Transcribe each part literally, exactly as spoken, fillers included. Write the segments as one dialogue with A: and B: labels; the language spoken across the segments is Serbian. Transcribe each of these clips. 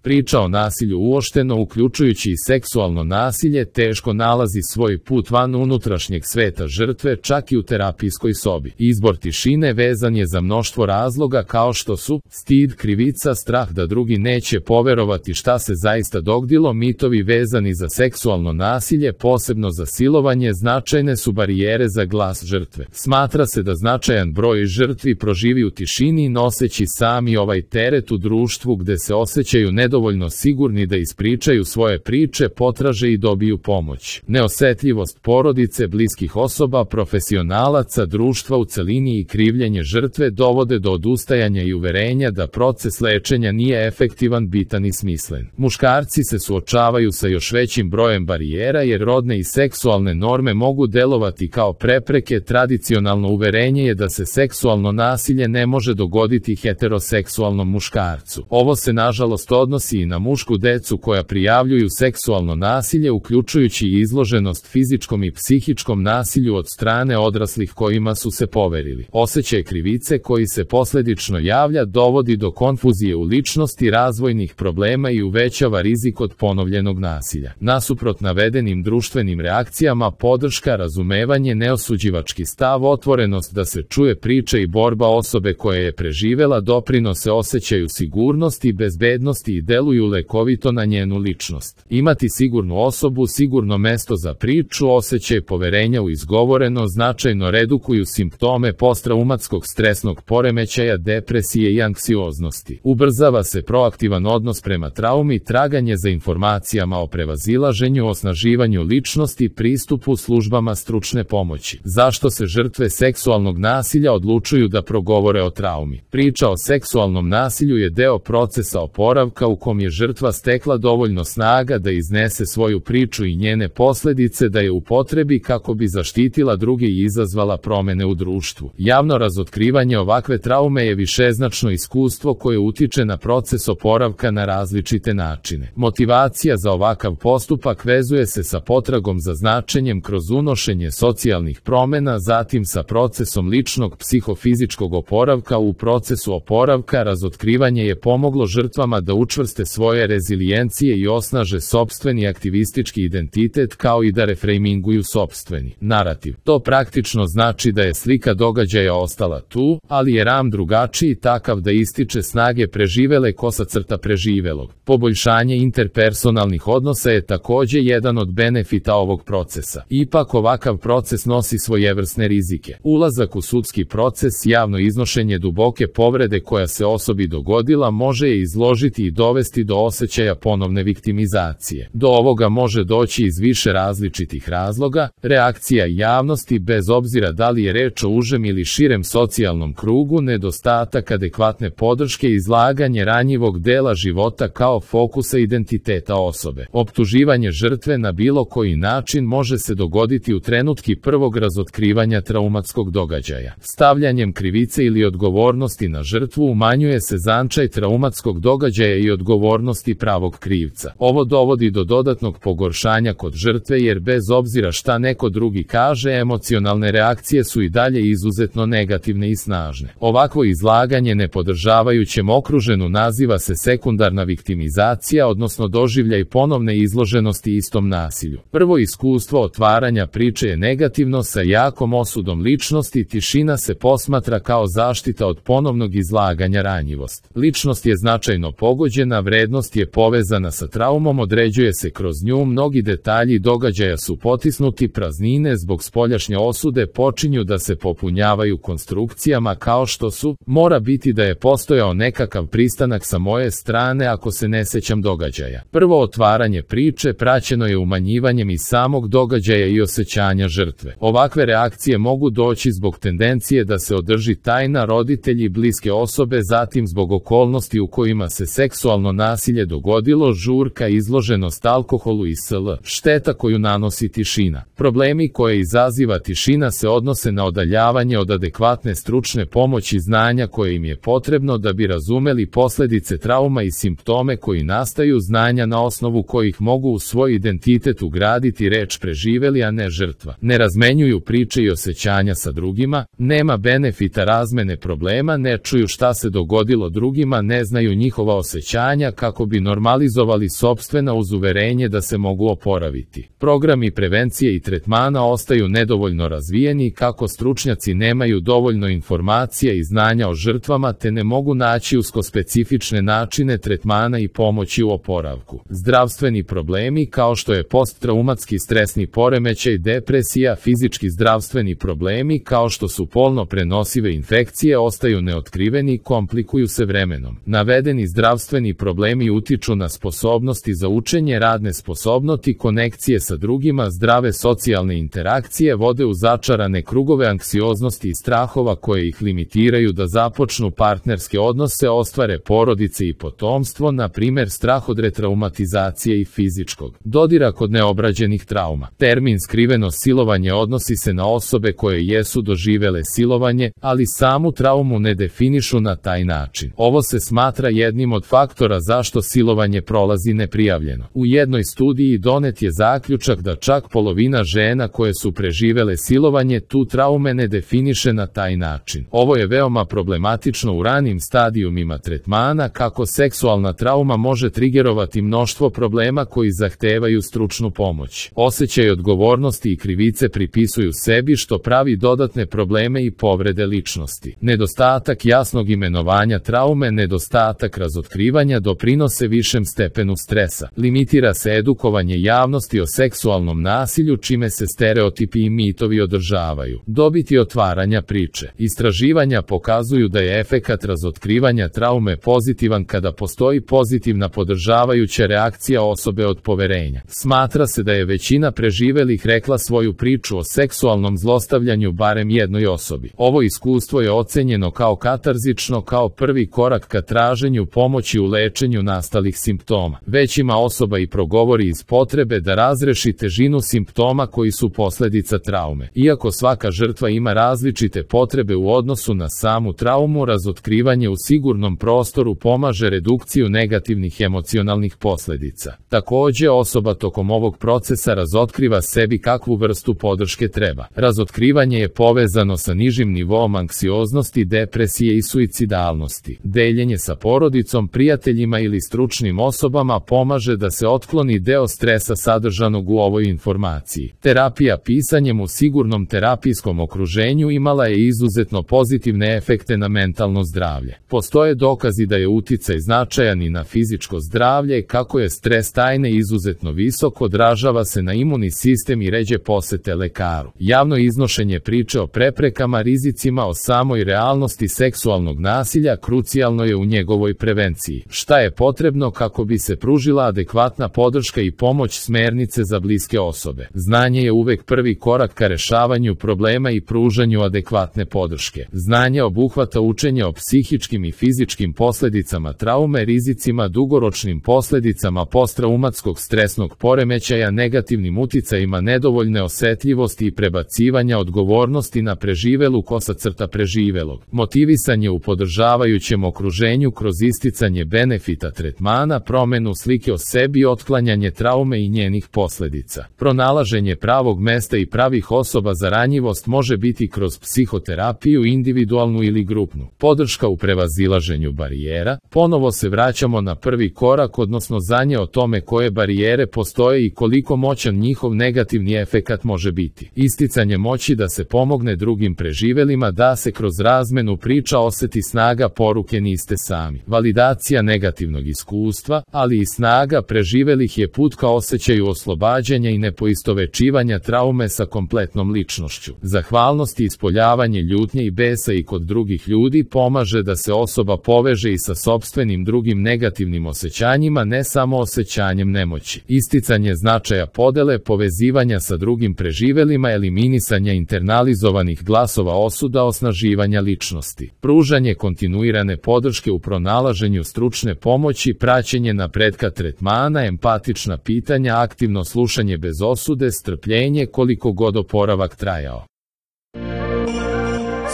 A: Priča o nasilju uopšteno, uključujući i seksualno nasilje, teško nalazi svoj put van unutrašnjeg sveta žrtve, čak i u terapijskoj sobi. Izbor tišine vezan je za mnoštvo razloga kao što su stid, krivica, strah da drugi neće poverovati šta se zaista dogodilo, mitovi vezani za seksualno nasilje, posebno za silovanje, značajne su barijere za glas žrtve. Smatra se da značajan broj žrtvi proživi u tišini, noseći sami ovaj teret u društvu gde se osjećaju nedovoljno sigurni da ispričaju svoje priče, potraže i dobiju pomoć. Neosetljivost porodice, bliskih osoba, profesionalaca, društva u celini i krivljenje žrtve dovode do odustajanja i uverenja da proces lečenja nije efektivan, bitan i smislen. Muškarci se suočavaju sa još većim brojem barijera jer rodne i seksualne norme mogu delovati kao prepreke. Tradicionalno uverenje je da se seksualno nasilje ne može dogoditi heteroseksualnom muškarcu. Ovo se nažalost odnosi i na mušku decu koja prijavljuju seksualno nasilje, uključujući i izloženost fizičkom i psihičkom nasilju od strane odraslih kojima su se poverili. Osjećaj krivice koji se posledično javlja dovodi do konfuzije u ličnosti, razvojnih problema i uvećava rizik od ponovljenog nasilja. Nasuprot navedenim društvenim reakcijama, podrška, razumevanje, neosuđivački stav, otvorenost da se čuje priča i borba osobe koja je preživela doprinose osjećaju sigurnosti i bezbednosti i deluju lekovito na njenu ličnost. Imati sigurnu osobu, sigurno mesto za priču, osjećaj poverenja u izgovoreno značajno redukuju simptome posttraumatskog stresnog poremećaja, depresije i anksioznosti. Ubrzava se proaktivan odnos prema traumi, traganje za informacijama o prevazilaženju, osnaživanju ličnosti, pristupu službama stručne pomoći. Zašto se žrtve seksualnog nasilja odlučuju da progovore o traumi? Priča o seksualnom nasilju je deo procesa oporavka u kom je žrtva stekla dovoljno snaga da iznese svoju priču i njene posledice da je upotrebi kako bi zaštitila druge i izazvala promene u društvu. Javno razotkrivanje ovakve traume je višeznačno iskustvo koje utiče na proces oporavka na različite načine. Motivacija za ovakav postupak vezuje se sa potragom za značenjem kroz unošenje socijalnih promena, zatim sa procesom ličnog psihofizičkog oporavka. U procesu oporavka razotkrivanje je pomoglo žrtvama da učvrste svoje rezilijencije i osnaže sopstveni aktivistički identitet kao i da refrejminguju sopstveni narativ. To praktično znači da je slika događaja ostala tu, ali je ram drugačiji, takav da ističe snage preživele kosa crta preživelog. Poboljšanje interpersonalnih odnosa je takođe jedan od benefita ovog procesa. Ipak ovakav proces nosi svojevrsne rizike. Ulazak u sudski proces, javno iznošenje duboke povrede koja se osobi dogodila može je izložiti i dovesti do osjećaja ponovne viktimizacije. Do ovoga može doći iz više različitih razloga. Reakcija javnosti, bez obzira da li je reč o užem ili širem socijalnom krugu, nedostatak adekvatne podrške, izlaganje ranjivog dela života kao fokusa identiteta osobe. Optuživanje žrtve na bilo koji način može se dogoditi u trenutki prvog razotkrivanja traumatskog događaja. Stavljanjem krivice ili odgovornosti na žrtvu umanjuje se značaj traumatskog događaja i odgovornosti pravog krivca. Ovo dovodi do dodatnog pogoršanja kod žrtve jer bez obzira šta neko drugi kaže, emocionalne reakcije su i dalje izuzetno negativne i snažne. Ovakvo izlaganje nepodržavajućem okruženu naziva se sekundarna viktimizacija, odnosno doživljaj ponovne izloženosti istom nasilju. Prvo iskustvo otvaranja priče je negativno sa jakom osudom ličnosti, tišina se posmatra kao zaštita od ponovnog izlaganja, ranjivost. Ličnost je značajno pogođena, vrednost je povezana sa traumom, određuje se kroz nju, mnogi detalji događaja su potisnuti, praznine zbog spoljašnje osude počinju da se popunjavaju konstrukcijama kao što su, mora biti da je postojao nekakav pristanak sa moje strane ako se ne sećam događaja. Prvo otvaranje priče praćeno je umanjivanjem i samog događaja i osjećanja žrtve. Ovakve reakcije mogu doći zbog tendencije da se održi tajna, roditelji, bliske osobe, zatim zbog okolnosti u kojima se seksualno nasilje dogodilo, žurka, izloženost alkoholu i sl. Šteta koju nanosi tišina. Problemi koje izaziva tišina se odnose na odaljavanje od adekvatne stručne pomoći, znanja koje im je potrebno da bi razumeli posledice trauma i simptome koji nastaju, znanja na osnovu kojih mogu u svoj identitet ugraditi reč preživeli, a ne žrtva. Ne razmenjuju priče i osjećanja sa drugima, nema benefita razmene problema, ne čuju šta se dogodilo drugima, ne znaju njihova osjećanja stanja kako bi normalizovali sopstvena uz uverenje da se mogu oporaviti. Programi prevencije i tretmana ostaju nedovoljno razvijeni kako stručnjaci nemaju dovoljno informacija i znanja o žrtvama te ne mogu naći uskospecifične načine tretmana i pomoći u oporavku. Zdravstveni problemi kao što je posttraumatski stresni poremećaj, depresija, fizički zdravstveni problemi kao što su polno prenosive infekcije ostaju neotkriveni i komplikuju se vremenom. Navedeni zdravstveni problemi utiču na sposobnosti za učenje, radne sposobnosti, konekcije sa drugima, zdrave socijalne interakcije, vode u začarane krugove anksioznosti i strahova koje ih limitiraju da započnu partnerske odnose, ostvare porodice i potomstvo, na primjer strah od retraumatizacije i fizičkog dodira kod neobrađenih trauma. Termin skriveno silovanje odnosi se na osobe koje jesu doživele silovanje, ali samu traumu ne definišu na taj način. Ovo se smatra jednim od faktora zašto silovanje prolazi neprijavljeno. U jednoj studiji donet je zaključak da čak polovina žena koje su preživele silovanje tu traume ne definiše na taj način. Ovo je veoma problematično u ranim stadijumima tretmana kako seksualna trauma može trigerovati mnoštvo problema koji zahtevaju stručnu pomoć. Osjećaj odgovornosti i krivice pripisuju sebi što pravi dodatne probleme i povrede ličnosti. Nedostatak jasnog imenovanja traume, nedostatak razotkrivanja doprinose višem stepenu stresa. Limitira se edukovanje javnosti o seksualnom nasilju čime se stereotipi i mitovi održavaju. Dobiti otvaranja priče. Istraživanja pokazuju da je efekat razotkrivanja traume pozitivan kada postoji pozitivna podržavajuća reakcija osobe od poverenja. Smatra se da je većina preživelih rekla svoju priču o seksualnom zlostavljanju barem jednoj osobi. Ovo iskustvo je ocenjeno kao katarzično, kao prvi korak ka traženju pomoći u lečenju nastalih simptoma. Već ima osoba i progovori iz potrebe da razreši težinu simptoma koji su posljedica traume. Iako svaka žrtva ima različite potrebe u odnosu na samu traumu, razotkrivanje u sigurnom prostoru pomaže redukciju negativnih emocionalnih posljedica. Također, osoba tokom ovog procesa razotkriva sebi kakvu vrstu podrške treba. Razotkrivanje je povezano sa nižim nivoom anksioznosti, depresije i suicidalnosti. Deljenje sa porodicom, prijateljima ili stručnim osobama pomaže da se otkloni deo stresa sadržanog u ovoj informaciji. Terapija pisanjem u sigurnom terapijskom okruženju imala je izuzetno pozitivne efekte na mentalno zdravlje. Postoje dokazi da je uticaj značajan i na fizičko zdravlje, kako je stres tajne izuzetno visok, odražava se na imunni sistem i ređe posete lekaru. Javno iznošenje priče o preprekama, rizicima, o samoj realnosti seksualnog nasilja krucijalno je u njegovoj prevenciji. Šta je potrebno kako bi se pružila adekvatna podrška i pomoć, smernice za bliske osobe. Znanje je uvek prvi korak ka rešavanju problema i pružanju adekvatne podrške. Znanje obuhvata učenje o psihičkim i fizičkim posljedicama traume, rizicima, dugoročnim posljedicama posttraumatskog stresnog poremećaja, negativnim uticajima nedovoljne osetljivosti i prebacivanja odgovornosti na preživelu kosa crta preživelog. Motivisanje u podržavajućem okruženju kroz isticanje benefita tretmana, promenu slike o sebi, otklanjanje traume i njenih posljedica. Pronalaženje pravog mesta i pravih osoba za ranjivost može biti kroz psihoterapiju, individualnu ili grupnu. Podrška u prevazilaženju barijera. Ponovo se vraćamo na prvi korak, odnosno znanje o tome koje barijere postoje i koliko moćan njihov negativni efekat može biti. Isticanje moći da se pomogne drugim preživelima, da se kroz razmenu priča oseti snaga poruke niste sami. Validacija negativnog iskustva, ali i snaga preživelih je put ka osjećaju oslobađanja i nepoistovečivanja traume sa kompletnom ličnošću. Zahvalnost i ispoljavanje ljutnje i besa i kod drugih ljudi pomaže da se osoba poveže i sa sopstvenim drugim negativnim osjećanjima, ne samo osjećanjem nemoći. Isticanje značaja podele, povezivanja sa drugim preživelima, eliminisanja internalizovanih glasova osuda, osnaživanja ličnosti. Pružanje kontinuirane podrške u pronalaženju stručne pomoći, praćenje napretka tretmana, empatična pitanja, aktivno slušanje bez osude, strpljenje koliko god oporavak trajao.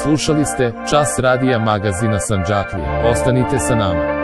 A: Slušali ste Čas radija magazina Sandžaklija. Ostanite sa nama.